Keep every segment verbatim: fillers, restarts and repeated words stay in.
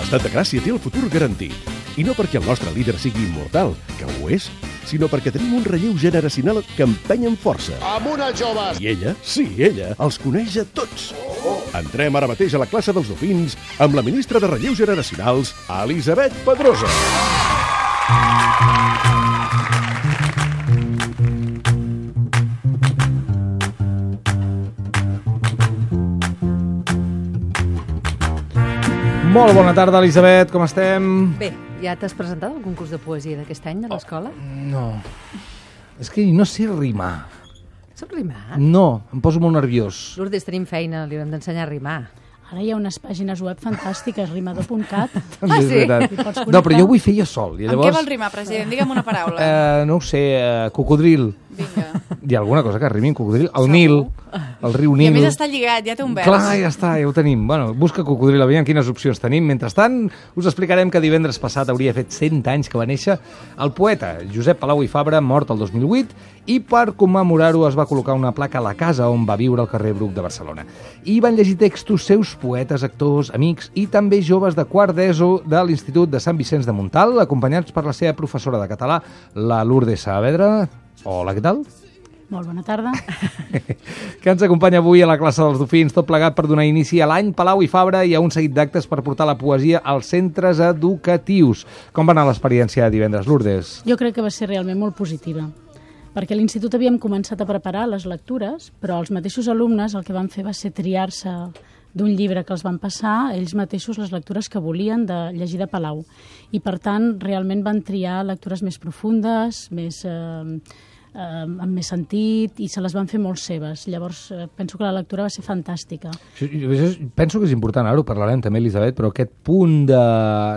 l'Estat de Gràcia té el futur garantit. I no perquè el nostre líder sigui immortal, que ho és, sinó perquè tenim un relleu generacional que empeny amb força. Amunt els joves! I ella, sí, ella, els coneix a tots. Entrem ara mateix a la classe dels dofins amb la ministra de Relleus Generacionals, Elisabet Pedrosa. Molt bona tarda, Elisabet, com estem? Bé, ja t'has presentat al concurs de poesia d'aquest any de l'escola? Oh, no, és que no sé rimar. Saps rimar? No, em poso molt nerviós. Lourdes, tenim feina, li haurem d'ensenyar a rimar. Ara hi ha unes pàgines web fantàstiques, rimador punt cat. Ah, sí? No, però jo ho vull fer jo sol. I llavors... Amb què vol rimar, president? Digue'm una paraula. Uh, no ho sé, uh, cocodril. Vinga. Hi ha alguna cosa que rimi amb cocodril? El Nil, el riu Nil. I a més està lligat, ja té un vers. Clar, ja està, ja ho tenim. Bueno, busca cocodril, aviam quines opcions tenim. Mentrestant, us explicarem que divendres passat hauria fet cent anys que va néixer el poeta Josep Palau i Fabra, mort el dos mil vuit, i per commemorar-ho es va col·locar una placa a la casa on va viure al carrer Bruc de Barcelona. I van llegir textos seus poetes, actors, amics i també joves de quart d'ESO de l'Institut de Sant Vicenç de Montalt, acompanyats per la seva professora de català, la Lourdes Saavedra. Hola, què tal? Molt bona tarda. Que ens acompanya avui a la classe dels dofins, tot plegat per donar inici a l'any Palau i Fabra i a un seguit d'actes per portar la poesia als centres educatius. Com va anar l'experiència de divendres, Lourdes? Jo crec que va ser realment molt positiva, perquè a l'institut havíem començat a preparar les lectures, però els mateixos alumnes el que van fer va ser triar-se d'un llibre que els van passar, ells mateixos les lectures que volien de llegir de Palau. I, per tant, realment van triar lectures més profundes, més... Eh, eh, amb més sentit, i se les van fer molt seves. Llavors, eh, penso que la lectura va ser fantàstica. Penso que és important, ara ho parlarem també, Elisabet, però aquest punt de,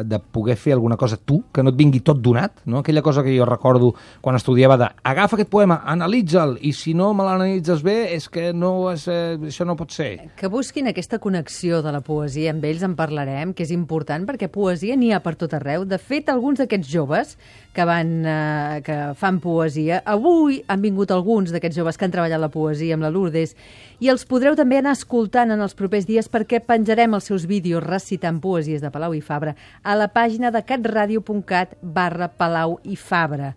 de poder fer alguna cosa tu, que no et vingui tot donat, no? Aquella cosa que jo recordo quan estudiava de agafa aquest poema, analitza'l, i si no me l'analitzes bé, és que no és, eh, això no pot ser. Que busquin aquesta connexió de la poesia, amb ells en parlarem, que és important, perquè poesia n'hi ha per tot arreu. De fet, alguns d'aquests joves que, van, eh, que fan poesia, avui han vingut alguns d'aquests joves que han treballat la poesia amb la Lourdes i els podreu també anar escoltant en els propers dies perquè penjarem els seus vídeos recitant poesies de Palau i Fabra a la pàgina de catradio punt cat barra Palau i Fabra.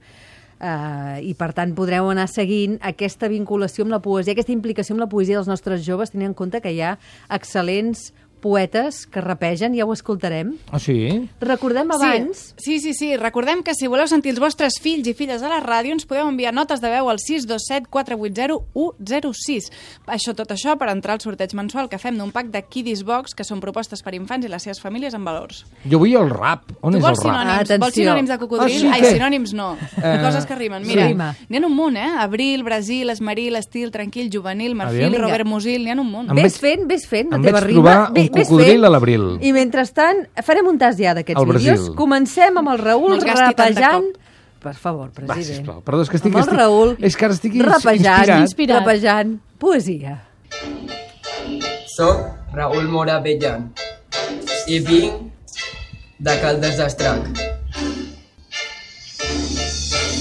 Uh, i per tant podreu anar seguint aquesta vinculació amb la poesia, aquesta implicació amb la poesia dels nostres joves, tenint en compte que hi ha excel·lents poetes que rapegen, ja ho escoltarem. Ah, sí? Recordem abans... Sí, sí, sí, sí. Recordem que si voleu sentir els vostres fills i filles a la ràdio ens podeu enviar notes de veu al sis dos set quatre vuit zero u zero sis. Això, tot això per entrar al sorteig mensual que fem d'un pack de Kiddies Box, que són propostes per infants i les seves famílies amb valors. Jo vull el rap. On tu és el rap? Sinònims? Ah, vols sinònims de cocodril? Ah, sí, Ai, què? sinònims no. Uh, Coses que rimen. Mira, sí. N'hi ha un munt, eh? Abril, Brasil, Esmeril, Estil, Tranquil, Juvenil, Marfil, Robert Musil, n'hi ha un munt. Em ves fent, ves fent, la em teva rima. Em vaig trobar un cocodril a l'abril. I mentrestant, farem un tas ja d'aquests vídeos. Comencem amb el Raül no rapejant... Per favor, president. Va, sisplau. Perdó, és que estic... Amb el estic... Raül és que ara estic rapejant, inspirat. rapejant poesia. Soc Raül Moravellan i vinc de Caldes d'Estrac.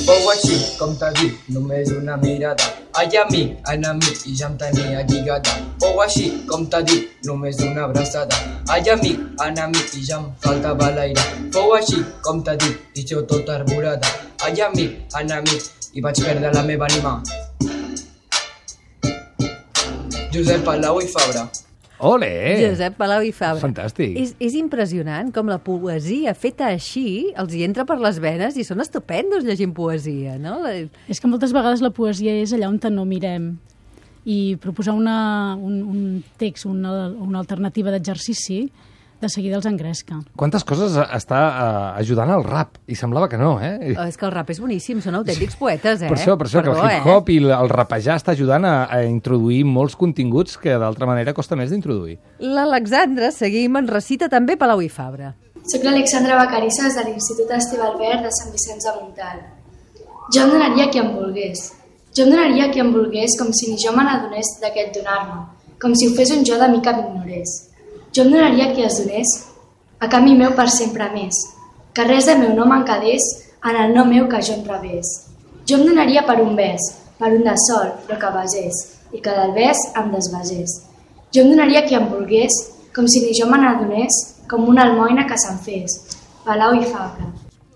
Fou així, com t'ha dit, només una mirada. Ai, amic, enemic, i ja em tenia lligada. Fou així, com t'ha dit, només una abraçada. Ai, amic, enemic, i ja em faltava l'aire. Fou així, com t'ha dit, i jo tot arborada. Ai, amic, enemic, i vaig perdre la meva ànima. Josep Palau i Fabra. Ole! Josep Palau i Fabra. Fantàstic. És, és impressionant com la poesia feta així els hi entra per les venes i són estupendos llegint poesia, no? La... És que moltes vegades la poesia és allà on no mirem i proposar una, un, un text, una, una alternativa d'exercici de seguida els engresca. Quantes coses està uh, ajudant al rap? I semblava que no, eh? Oh, és que el rap és boníssim, són autèntics poetes, eh? Per això, per això Perdó, que el hip-hop eh? i el rapejar està ajudant a, a introduir molts continguts que d'altra manera costa més d'introduir. L'Alexandra, seguim, en recita també Palau i Fabra. Soc l'Alexandra Vacarisses de l'Institut Estival Verd de Sant Vicenç de Montalt. Jo em donaria qui em volgués. Jo em donaria qui em volgués com si ni jo me n'adonés d'aquest donar-me, com si ho fes un jo de mi que m'ignorés. Jo em donaria qui es donés, a canvi meu per sempre més, que res de meu no me'n quedés en el no meu que jo em rebés. Jo em donaria per un bes, per un de sol, però que besés, i que del bes em desbesés. Jo em donaria qui em volgués, com si ni jo me n'adonés, com una almoina que se'n fes. Palau i Fabra.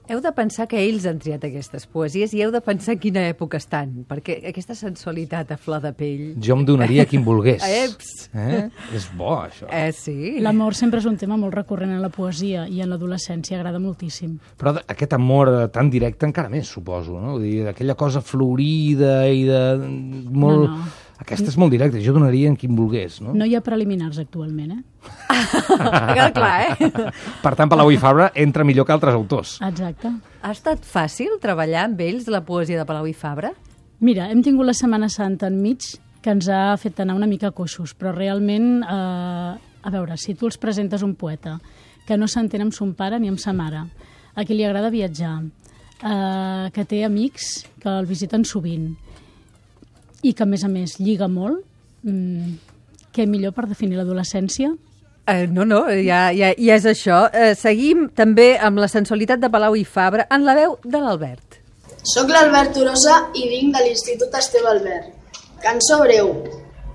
Heu de pensar que ells han triat aquestes poesies i heu de pensar en quina època estan, perquè aquesta sensualitat a flor de pell... Jo em donaria qui em volgués. Eps! Eh? És bo, això. Eh, sí. L'amor sempre és un tema molt recurrent en la poesia i en l'adolescència agrada moltíssim. Però aquest amor tan directe encara més, suposo, no? Vull dir, aquella cosa florida i de... molt... No, no. Aquesta és molt directa, jo donaria en qui em volgués, no? No hi ha preliminars actualment, eh? Queda clar, eh? Per tant, Palau i Fabra entra millor que altres autors. Exacte. Ha estat fàcil treballar amb ells la poesia de Palau i Fabra? Mira, hem tingut la Setmana Santa enmig que ens ha fet anar una mica coixos, però realment, eh, a veure, si tu els presentes un poeta que no s'entén amb son pare ni amb sa mare, a qui li agrada viatjar, eh, que té amics que el visiten sovint, i que, a més a més, lliga molt, mmm, què millor per definir l'adolescència? Eh, no, no, ja, ja, ja és això. Eh, seguim també amb la sensualitat de Palau i Fabra en la veu de l'Albert. Soc l'Albert Torosa i vinc de l'Institut Esteve Albert. Cançó breu.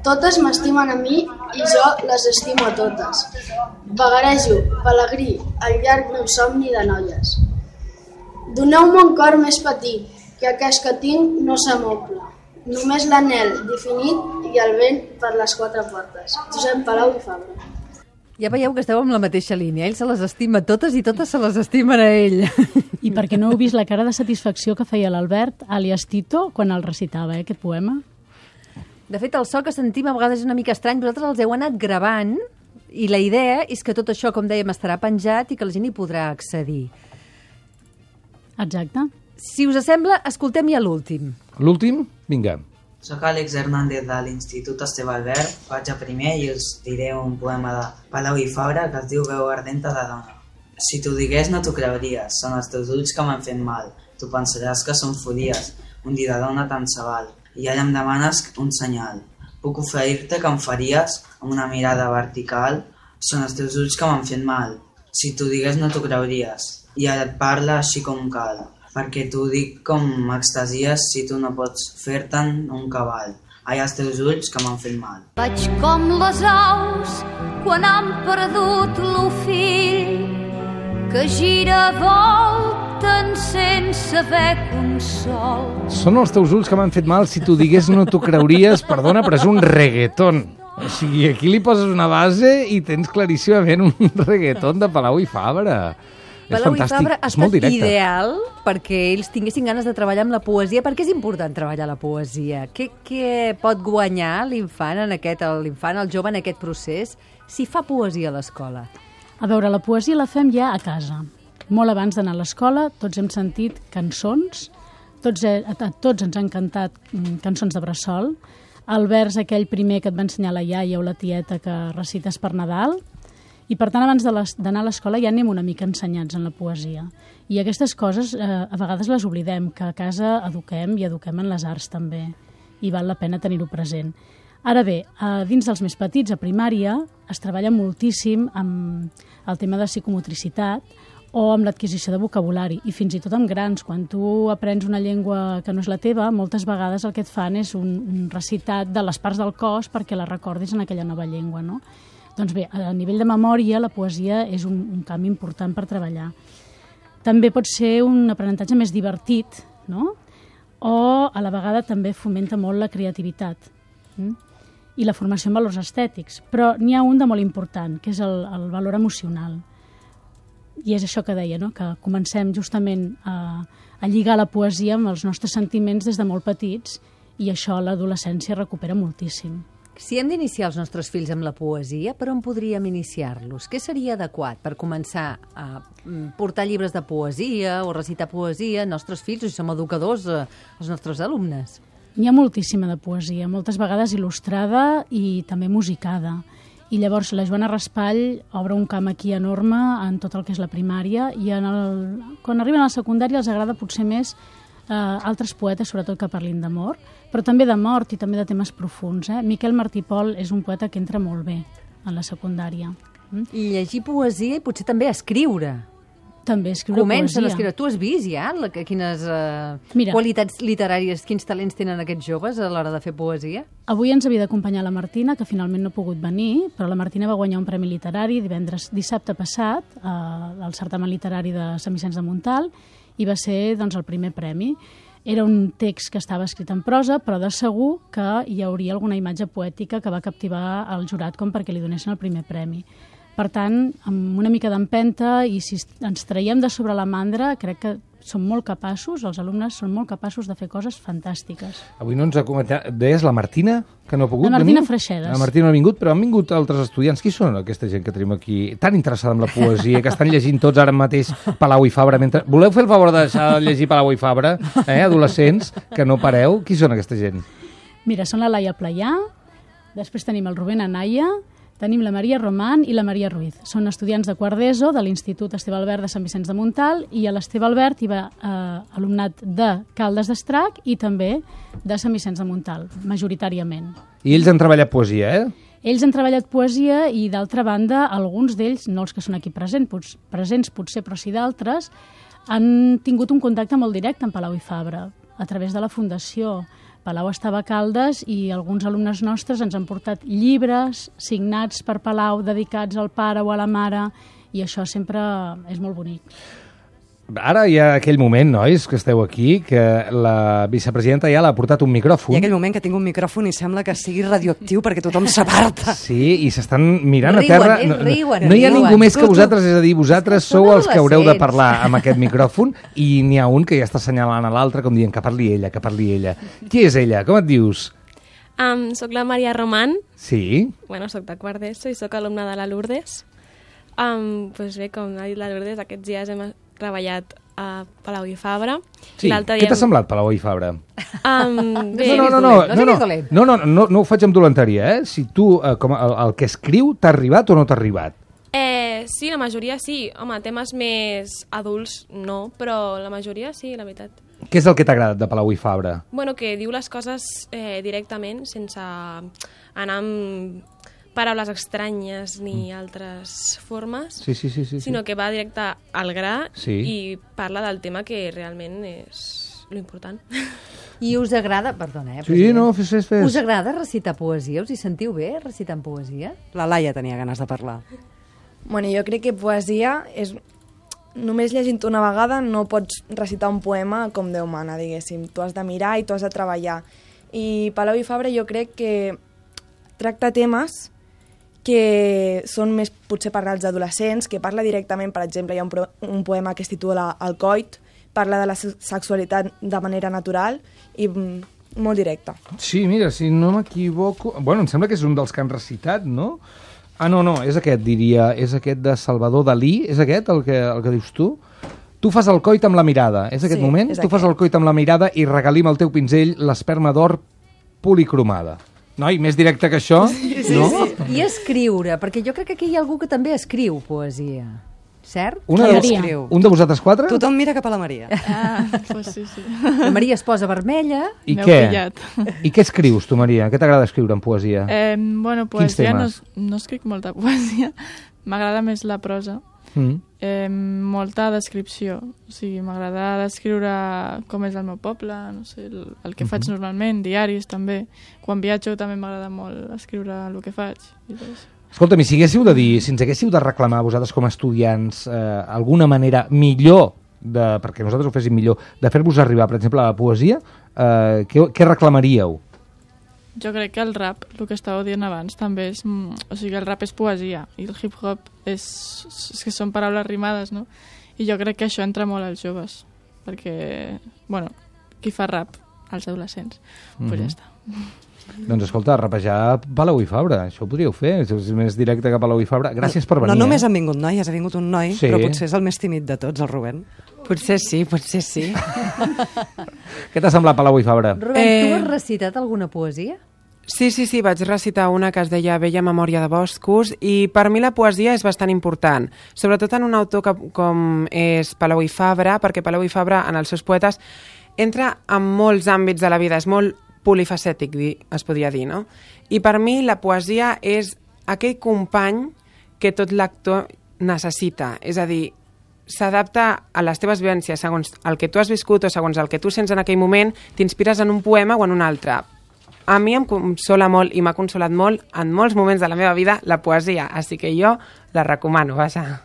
Totes m'estimen a mi i jo les estimo a totes. Vagarejo, pelegrí, al llarg meu somni de noies. Doneu-me un cor més petit, que aquest que tinc no s'amoble. Només l'anel definit i el vent per les quatre portes. Josep Palau i Fabra. Ja veieu que esteu amb la mateixa línia. Ell se les estima totes i totes se les estimen a ell. I perquè no heu vist la cara de satisfacció que feia l'Albert, alias Tito, quan el recitava, eh, aquest poema? De fet, el so que sentim a vegades és una mica estrany. Vosaltres els heu anat gravant i la idea és que tot això, com dèiem, estarà penjat i que la gent hi podrà accedir. Exacte. Si us sembla, escoltem ja l'últim. L'últim? Vinga. Soc Àlex Hernández de l'Institut Esteve Albert, vaig a primer i us diré un poema de Palau i Fabra que es diu Veu ardenta de dona. Si t'ho digués no t'ho creuries, són els teus ulls que m'han fet mal. Tu pensaràs que són folies, un dir de dona tant se val. I ara em demanes un senyal. Puc oferir-te que em faries amb una mirada vertical? Són els teus ulls que m'han fet mal. Si t'ho digués no t'ho creuries. I ara et parla així com cal. Perquè t'ho dic com extasies si tu no pots fer-te'n un cavall. Ai, els teus ulls que m'han fet mal. Vaig com les aus quan han perdut l'ofill, que gira volten sense haver consol. Són els teus ulls que m'han fet mal, si t'ho digués no t'ho creuries, perdona, però és un reggaeton. O sigui, aquí li poses una base i tens claríssimament un reggaeton de Palau i Fabra. Palau i Fabra ha és molt estat directe. ideal perquè ells tinguessin ganes de treballar amb la poesia. Per què és important treballar la poesia? Què, què pot guanyar l'infant, en aquest, l'infant, el jove, en aquest procés, si fa poesia a l'escola? A veure, la poesia la fem ja a casa. Molt abans d'anar a l'escola, tots hem sentit cançons, tots, a, a tots ens han cantat mm, cançons de bressol, el vers aquell primer que et va ensenyar la iaia o la tieta que recites per Nadal. I, per tant, abans d'anar a l'escola ja anem una mica ensenyats en la poesia. I aquestes coses eh, a vegades les oblidem, que a casa eduquem i eduquem en les arts també. I val la pena tenir-ho present. Ara bé, eh, dins dels més petits, a primària, es treballa moltíssim amb el tema de psicomotricitat o amb l'adquisició de vocabulari. I fins i tot amb grans, quan tu aprens una llengua que no és la teva, moltes vegades el que et fan és un, un recitat de les parts del cos perquè la recordis en aquella nova llengua, no? Doncs bé, a nivell de memòria, la poesia és un, un camp important per treballar. També pot ser un aprenentatge més divertit, no? O, a la vegada, també fomenta molt la creativitat hm? i la formació en valors estètics. Però n'hi ha un de molt important, que és el, el valor emocional. I és això que deia, no? Que comencem justament a, a lligar la poesia amb els nostres sentiments des de molt petits i això a l'adolescència recupera moltíssim. Si hem d'iniciar els nostres fills amb la poesia, per on podríem iniciar-los? Què seria adequat per començar a portar llibres de poesia o recitar poesia als nostres fills, o si som educadors, als nostres alumnes? N'hi ha moltíssima de poesia, moltes vegades il·lustrada i també musicada. I llavors la Joana Raspall obre un camp aquí enorme en tot el que és la primària i en el... quan arriben a la secundària els agrada potser més eh, altres poetes, sobretot que parlin d'amor, però també de mort i també de temes profuns. Eh? Miquel Martí Pol és un poeta que entra molt bé en la secundària. Mm? I llegir poesia i potser també escriure. També escriure Comencen poesia. a escriure. Tu has vist ja la, que, quines uh, Mira. qualitats literàries, quins talents tenen aquests joves a l'hora de fer poesia? Avui ens havia d'acompanyar la Martina, que finalment no ha pogut venir, però la Martina va guanyar un premi literari divendres, dissabte passat, eh, al certamen literari de Sant Vicenç de Montalt, i va ser doncs, el primer premi. Era un text que estava escrit en prosa, però de segur que hi hauria alguna imatge poètica que va captivar el jurat com perquè li donessin el primer premi. Per tant, amb una mica d'empenta, i si ens traiem de sobre la mandra, crec que són molt capaços, els alumnes són molt capaços de fer coses fantàstiques. Avui no ens ha comentat... Deies la Martina, que no ha pogut La Martina venir? Freixedes. La Martina no ha vingut, però han vingut altres estudiants. Qui són aquesta gent que tenim aquí tan interessada en la poesia, que estan llegint tots ara mateix Palau i Fabra? Mentre... Voleu fer el favor de deixar de llegir Palau i Fabra, eh, adolescents, que no pareu? Qui són aquesta gent? Mira, són la Laia Playà, després tenim el Rubén Anaya, tenim la Maria Román i la Maria Ruiz. Són estudiants de quart d'ESO de l'Institut Esteve Albert de Sant Vicenç de Montalt, i a l'Esteve Albert hi va eh, alumnat de Caldes d'Estrac i també de Sant Vicenç de Montalt, majoritàriament. I ells han treballat poesia, eh? Ells han treballat poesia i, d'altra banda, alguns d'ells, no els que són aquí presents, pots, presents potser, però sí d'altres, han tingut un contacte molt directe amb Palau i Fabra, a través de la Fundació. Palau estava a Caldes i alguns alumnes nostres ens han portat llibres signats per Palau, dedicats al pare o a la mare, i això sempre és molt bonic. Ara hi ha aquell moment, nois, que esteu aquí, que la vicepresidenta ja l'ha portat un micròfon. Hi ha aquell moment que tinc un micròfon i sembla que sigui radioactiu perquè tothom s'aparta. Sí, i s'estan mirant Riuen, a terra. eh? No, no, Riuen, no hi ha riuen. ningú més que Tu, tu. vosaltres, és a dir, vosaltres Són sou els que haureu de adolescents. parlar amb aquest micròfon, i n'hi ha un que ja està assenyalant a l'altre com dient que parli ella, que parli ella. Qui és ella? Com et dius? Um, soc la Maria Román, Sí? bueno, soc de quart d'ESO i soc alumna de la Lourdes. Um, pues bé, com ha dit la Lourdes, aquests dies hem treballat a Palau i Fabra. Sí, L'altre què dia- t'ha semblat, Palau i Fabra? Um, bé, No, no, no, no, no, no, no, no, no, no ho faig amb dolenteria, eh? Si tu, eh, com el, el que escriu, t'ha arribat o no t'ha arribat? Eh, sí, la majoria sí. Home, temes més adults no, però la majoria sí, la veritat. Què és el que t'ha agradat de Palau i Fabra? Bueno, que diu les coses eh, directament, sense anar amb paraules estranyes ni mm. altres formes, Sí, sí, sí, sí, sí. sinó que va directe al gra Sí. i parla del tema que realment és lo important. I us agrada, perdona, eh, Sí, president. no, fes, fes, fes. Us agrada recitar poesia? Us hi sentiu bé, recitant poesia? La Laia tenia ganes de parlar. Bueno, jo crec que poesia és... Només llegint una vegada no pots recitar un poema com Déu mana, diguéssim. Tu has de mirar i tu has de treballar. I Palau i Fabra jo crec que tracta temes que són més potser per als adolescents, que parla directament, per exemple, hi ha un, pro un poema que es titula El coit, parla de la sexualitat de manera natural i mm, molt directa. Sí, mira, si no m'equivoco... Bueno, em sembla que és un dels que han recitat, no? Ah, no, no, és aquest, diria. És aquest de Salvador Dalí. És aquest el que, el que dius tu? Tu fas el coit amb la mirada. És aquest Sí, moment? és Tu fas el coit amb la mirada i regalim al teu pinzell l'esperma d'or policromada. Noi, més directe que això, Sí, sí, no? sí. I escriure, perquè jo crec que aquí hi ha algú que també escriu poesia. Cert? Una Qui de, escriu? un de vosaltres quatre? Tothom mira cap a la Maria. Ah, pues sí, sí. La Maria es posa vermella. I M'heu què? pillat. I què escrius tu, Maria? Què t'agrada escriure en poesia? Eh, bueno, Quins poesia no, temes? es- no escric molta poesia. M'agrada més la prosa. Mm. Eh, molta descripció. O sigui, m'agrada descriure com és el meu poble, no sé, el, el que faig Mhm. normalment, diaris també. Quan viatjo també m'agrada molt escriure el que faig. I tot això. Escolta'm, i si haguéssiu de dir, si ens haguéssiu de reclamar vosaltres com a estudiants eh, alguna manera millor, de, perquè nosaltres ho féssim millor, de fer-vos arribar, per exemple, a la poesia, eh, què, què reclamaríeu? Jo crec que el rap, el que estàveu dient abans, també és... mm, O sigui, el rap és poesia i el hip-hop és, és que són paraules rimades, no? I jo crec que això entra molt als joves, perquè, bueno, qui fa rap? Els adolescents. Doncs pues Mhm. ja està. Doncs escolta, rapejar Palau i Fabra, això ho podríeu fer, és més directe que Palau i Fabra. Gràcies per venir. No només eh? han vingut noies, ha vingut un noi, Sí. però potser és el més tímid de tots, el Rubén. Potser sí, potser sí. Què t'ha semblat Palau i Fabra? Rubén, Eh, tu has recitat alguna poesia? Sí, sí, sí, vaig recitar una que es deia Bella memòria de boscos i per mi la poesia és bastant important, sobretot en un autor que, com és Palau i Fabra, perquè Palau i Fabra en els seus poetes entra en molts àmbits de la vida, és molt polifacètic, es podria dir, no? I per mi la poesia és aquell company que tot lector necessita, és a dir, s'adapta a les teves vivències, segons el que tu has viscut o segons el que tu sents en aquell moment, t'inspires en un poema o en un altre. A mi em consola molt i m'ha consolat molt en molts moments de la meva vida la poesia, així que jo la recomano, vaja.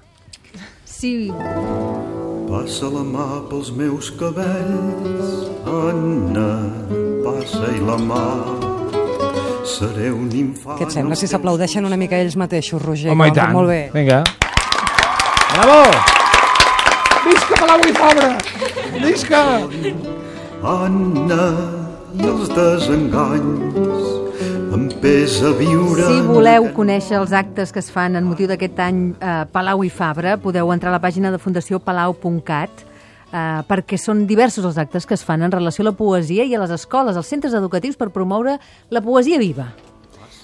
Sí. Passa la mà pels meus cabells, Anna, passa-hi la mà. Seré un infant... Què et sembla si s'aplaudeixen una mica ells mateixos, Roger? Home, i tant. Molt bé. Vinga. Bravo! Visca Palau i Fabra! Visca! Anna, i els desenganys, em pesa viure... Si voleu conèixer els actes que es fan en motiu d'aquest any eh, Palau i Fabra, podeu entrar a la pàgina de fundació palau punt cat, eh, perquè són diversos els actes que es fan en relació a la poesia i a les escoles, als centres educatius, per promoure la poesia viva.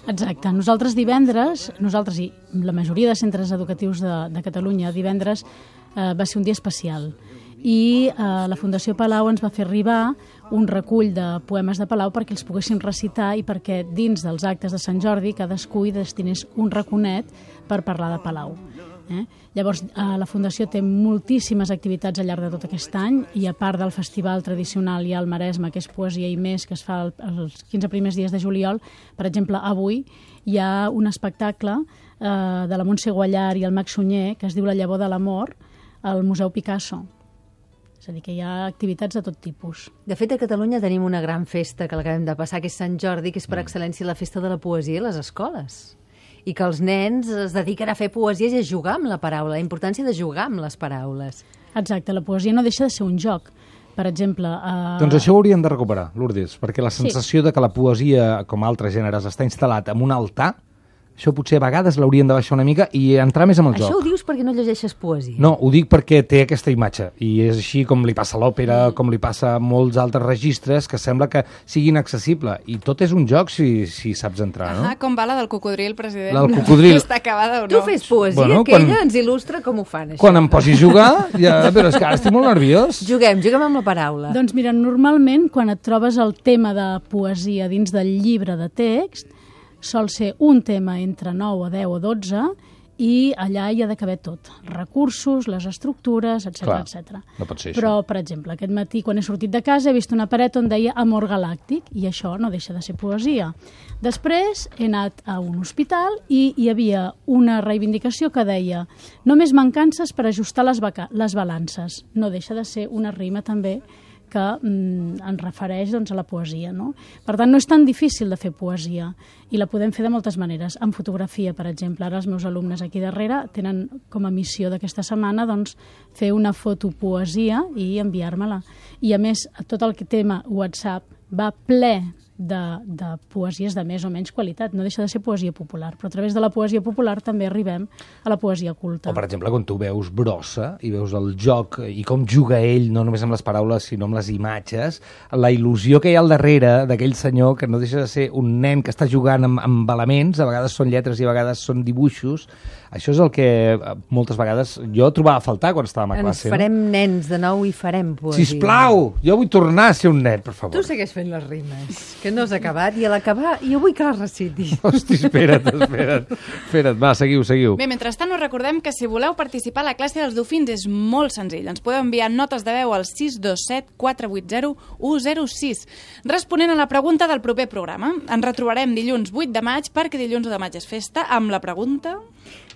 Exacte. Nosaltres divendres, nosaltres i la majoria de centres educatius de, de Catalunya, divendres eh, va ser un dia especial. I eh, la Fundació Palau ens va fer arribar un recull de poemes de Palau perquè els poguéssim recitar i perquè dins dels actes de Sant Jordi cadascú hi destinés un raconet per parlar de Palau. Eh? Llavors, eh, la Fundació té moltíssimes activitats al llarg de tot aquest any i a part del festival tradicional hi ha el Maresme, que és Poesia i Més, que es fa el, els quinze primers dies de juliol. Per exemple, avui hi ha un espectacle eh, de la Montse Guallar i el Max Sunyer que es diu La llavor de l'amor al Museu Picasso. És a dir, que hi ha activitats de tot tipus. De fet, a Catalunya tenim una gran festa que l'acabem de passar, que és Sant Jordi, que és per excel·lència la festa de la poesia a les escoles. I que els nens es dediquen a fer poesia i a jugar amb la paraula, la importància de jugar amb les paraules. Exacte, la poesia no deixa de ser un joc. Per exemple... Eh... Doncs això ho hauríem de recuperar, Lourdes, perquè la sensació sí. de que la poesia, com altres gèneres, està instal·lat en un altar, això potser a vegades l'haurien de baixar una mica i entrar més amb el això joc. Això ho dius perquè no llegeixes poesia? No, ho dic perquè té aquesta imatge i és així com li passa a l'òpera, mm. com li passa a molts altres registres que sembla que sigui inaccessible i tot és un joc si, si saps entrar, no? Ah, com va la del cocodril, president? La del cocodril. Està acabada o no? Tu fes poesia, bueno, que quan... ella ens il·lustra com ho fan, això. Quan em posi a jugar, ja... però és que ara estic molt nerviós. Juguem, juguem amb la paraula. Doncs mira, normalment quan et trobes el tema de poesia dins del llibre de text, sol ser un tema entre nou o deu o dotze i allà hi ha de caber tot. Recursos, les estructures, etcètera, etcètera. No pot ser Però, això. per exemple, aquest matí, quan he sortit de casa, he vist una paret on deia Amor Galàctic, i això no deixa de ser poesia. Després he anat a un hospital i hi havia una reivindicació que deia només mancances per ajustar les, les balances. No deixa de ser una rima també que mm, ens refereix doncs, a la poesia. No? Per tant, no és tan difícil de fer poesia i la podem fer de moltes maneres. En fotografia, per exemple, ara els meus alumnes aquí darrere tenen com a missió d'aquesta setmana doncs, fer una fotopoesia i enviar-me-la. I a més, tot el tema WhatsApp va ple de, de poesies de més o menys qualitat. No deixa de ser poesia popular, però a través de la poesia popular també arribem a la poesia culta. O, per exemple, quan tu veus Brossa i veus el joc i com juga ell, no només amb les paraules, sinó amb les imatges, la il·lusió que hi ha al darrere d'aquell senyor que no deixa de ser un nen que està jugant amb, amb elements, a vegades són lletres i a vegades són dibuixos. Això és el que moltes vegades jo trobava a faltar quan estàvem a classe. Ens farem no? nens de nou i farem poesia. Sisplau, jo vull tornar a ser un nen, per favor. Tu segueix fent les rimes, que no has acabat, i a l'acabar jo vull que les recitis. Hosti, espera't, espera't. Espera't, va, seguiu, seguiu. Bé, mentrestant us recordem que si voleu participar a la classe dels dofins és molt senzill. Ens podeu enviar notes de veu al sis dos set quatre vuit zero u zero sis responent a la pregunta del proper programa. Ens retrobarem dilluns vuit de maig, perquè dilluns u de maig és festa, amb la pregunta...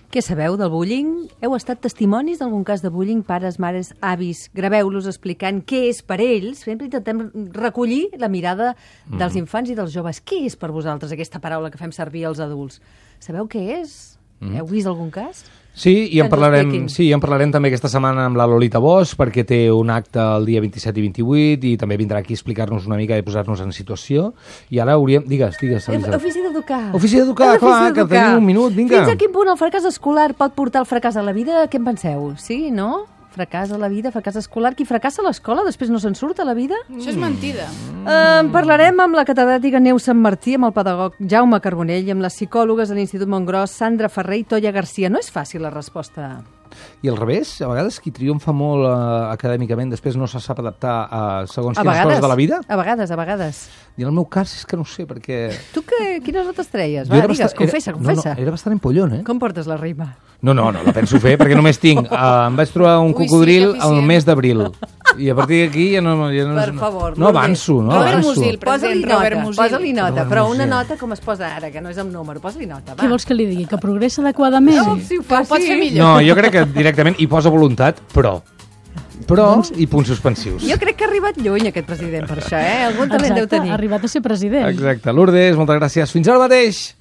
Què sabeu del bullying? Heu estat testimonis d'algun cas de bullying? Pares, mares, avis, graveu-los explicant què és per ells. Sempre intentem recollir la mirada dels mm. infants i dels joves. Què és per vosaltres aquesta paraula que fem servir els adults? Sabeu què és? Mm. Heu vist algun cas? Sí, i en parlarem, sí, en parlarem també aquesta setmana amb la Lolita Bosch, perquè té un acte el dia vint-i-set i vint-i-vuit i també vindrà aquí a explicar-nos una mica i posar-nos en situació. I ara hauríem... Digues, digues, Elisa. Ofici d'educar. Ofici d'educar, clar, que tenim un minut, vinga. Fins a quin punt el fracàs escolar pot portar el fracàs a la vida? Què en penseu? Sí, no? Fracàs a la vida, fracàs escolar. Qui fracassa a l'escola després no se'n surt a la vida? Això és mentida. Uh, parlarem amb la catedràtica Neus Sant Martí, amb el pedagog Jaume Carbonell i amb les psicòlogues de l'Institut Montgròs, Sandra Ferrer i Toia Garcia. No és fàcil la resposta. I al revés, a vegades qui triomfa molt uh, acadèmicament després no se sap adaptar a segons A quines vegades, coses de la vida? A vegades, a vegades. I en el meu cas és que no ho sé, perquè... Tu que, quines notes treies? Jo Va, era digues, bastant- confessa, era- confessa. No, no, era bastant empollón, eh? Com portes la rima? No, no, no la penso fer, perquè només tinc... Uh, em vaig trobar un Ui, sí, cocodril que al eficient. mes d'abril. I a partir d'aquí ja no... Ja no Per favor. No avanço, no Robert avanço. Musil, Posa-li Robert nota, Musil. posa-li nota, Robert però una Musil. nota com es posa ara, que no és amb número. Posa-li nota, va. Què vols que li digui? Que progressa adequadament? No, si ho fa, Ho pots fer millor. No, jo crec que directament hi posa voluntat, però... Però i punts suspensius. Jo crec que ha arribat lluny aquest president per això, eh? Algun talent deu Exacte, tenir. ha arribat a ser president. Exacte. Lourdes, moltes gràcies. Fins ara mateix!